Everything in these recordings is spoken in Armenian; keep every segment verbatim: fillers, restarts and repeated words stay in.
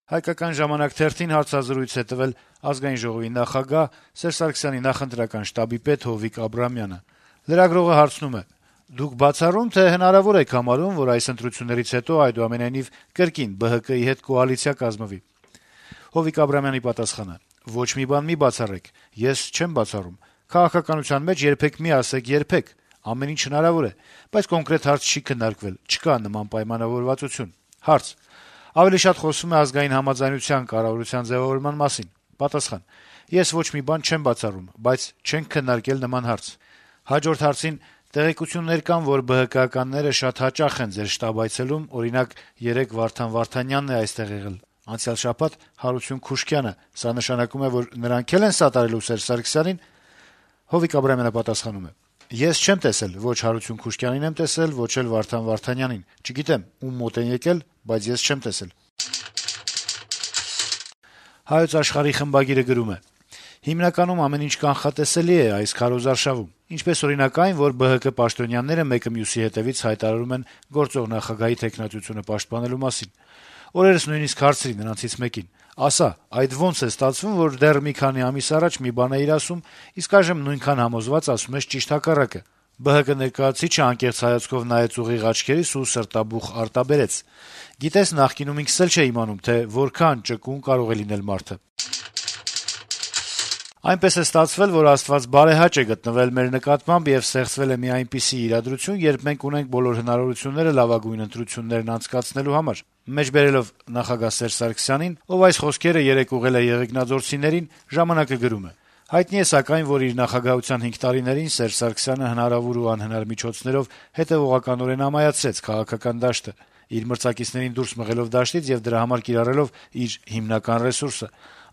«Հայկական ժամանակ» թերթին հարցազրույց է տվել Ազգային ժողովի նախագահ, Սերժ Սարգսյանի նախընտրական շտաբի պետ Հովիկ Աբրահամյանը: Լրագրողը հարցնում է. - «Դուք բացառո՞ւմ, թե հնարավոր եք համարում, որ այս ընտրություններից հետո այդուամենայնիվ կրկին ԲՀԿ-ի հետ կոալիցիա կազմվի»: Հովիկ Աբրահամյանի պատասխանը. - «Ոչ մի բան մի բացառեք: Ես չեմ բացառում: Քաղաքականության մեջ երբեք մի ասեք երբեք: Ամեն ինչ հնարավոր է: Բայց կոնկրետ հարց չի քննարկվել, չկա նման պայմանավորվածություն»: Հարց. - «Ավելի շատ խոսվում է ազգային համաձայնության կառավարության ձեւավորման մասին»: Պատասխան. - «Ես ոչ մի բան չեմ բացառում, բայց չենք քննարկել նման հարց»: Հաջորդ հարցին. - «Տեղեկություններ կան, որ ԲՀԿ-ականները շատ հաճախ են ձեր շտաբ այցելում, օրինակ, երեկ Վարդան Վարդանյանն է այստեղ եղել, անցյալ շաբաթ Հարություն Քուշկյանը: Սա նշանակում է, որ նրանք էլ են սատարելու Սերժ Սարգսյանին»: Հովիկ Աբրահամյանը պատասխանում է. - «Ես չեմ տեսել, ոչ Հարություն Քուշկյանին եմ տեսել, ոչ էլ Վարդան Վարդանյանին: Չգիտեմ` ում մոտ են եկել, բայց ես չեմ տեսել»: «Հայոց Աշխարհ»-ի խմբագիրը գրում է. - «Հիմնականում ամեն ինչ կանխատեսելի է այս քարոզարշավում: Ինչպես, օրինակ, այն, որ ԲՀԿ պաշտոնյաները մեկը մյուսի հետեւից հայտարարում են գործող նախագահի թեկնածությունը պաշտպանելու մասին: Օրերս նույնիսկ հարցրի նրանցից մեկին. ասա, այդ ոնց է ստացվում, որ դեռ մի քանի ամիս առաջ մի բան էիր ասում, իսկ այժմ նույնքան համոզված ասում ես ճիշտ հակառակը: ԲՀԿ ներկայացուցիչը անկեղծ հայացքով նայեց ուղիղ աչքերիս ու սրտաբուխ արտաբերեց. գիտես, նախկինում ինքս էլ չէի իմանում, թե որքան ճկուն կարող է լինել մարդը: Այնպես է ստացվել, որ Աստված բարեհաճ է գտնվել մեր նկատմամբ եւ ստեղծվել է մի այնպիսի իրադրություն, երբ մենք ունենք բոլոր հնարավորությունները լավագույն ընտրություններն անցկացնելու համար»: Մեջբերելով նախագահ Սերժ Սարգսյանին, ով այս խոսքերը երեկ ուղղել է եղեգնաձորցիներին, «Ժամանակ»-ը գրում է. - «Հայտնի է սակայն, որ իր նախագահության հինգ տարիներին Սերժ Սարգսյանը հնարավոր ու անհնար միջոցներով հետեւողականորեն ամայացրեց քաղաքական դաշտը, իր մրցակիցներին դուրս մղելով դաշտից եւ դրա համար կիրառելով իր հիմնական ռեսուրսը: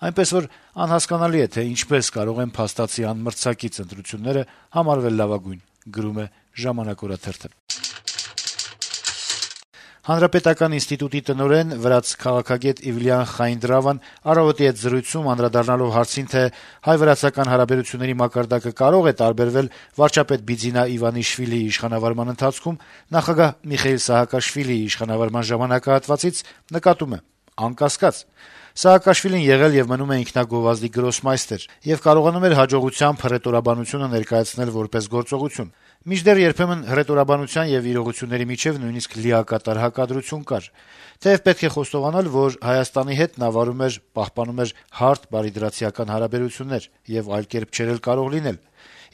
Այնպես որ անհասկանալի է, թե ինչպես կարող են փաստացի անմրցակից ընտրությունները համարվել լավագույն»: Հանրապետական ինստիտուտի տնօրեն, վրաց քաղաքագետ Իվլիան Խայնդրավան «Առավոտ»-ի հետ զրույցում անդրադառնալով հարցին, թե հայ-վրացական հարաբերությունների մակարդակը կարո՞ղ է տարբերվել վարչապետ Բիձինա Իվանիշվիլիի իշխանավարման ընթացքում նախագահ Միխեիլ Սահակաշվիլիի իշխանավարման ժամանակահատվածից, նկատում է. - «Անկասկած, Սաակաշվիլին եղել եւ մնում է ինքնագովազդի գրոսմայստեր եւ կարողանում էր հաջողությամբ հռետորաբանությունը ներկայացնել որպես գործողություն: Մինչդեռ երբեմն հռետորաբանության եւ իրողությունների միջեւ նույնիսկ լիակատար հակադրություն կար: Թեեւ պետք է խոստովանել, որ Հայաստանի հետ նա վարում էր, պահպանում էր հարթ բարիդրացիական հարաբերություններ, եւ այլ կերպ չէր էլ կարող լինել: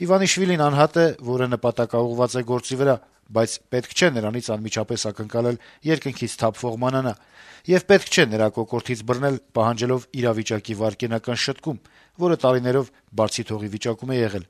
Իվանիշվիլին անհատ է, որը նպատակաուղղված է գործի վրա, բայց պետք չէ նրանից անմիջապես ակնկալել երկնքից թափվող մանանա: Եվ պետք չէ նրա կոկորդից բռնել, պահանջելով իրավիճակի վայրկենական շտկում, որը տարիներով բարձի թողի վիճակում է եղել»: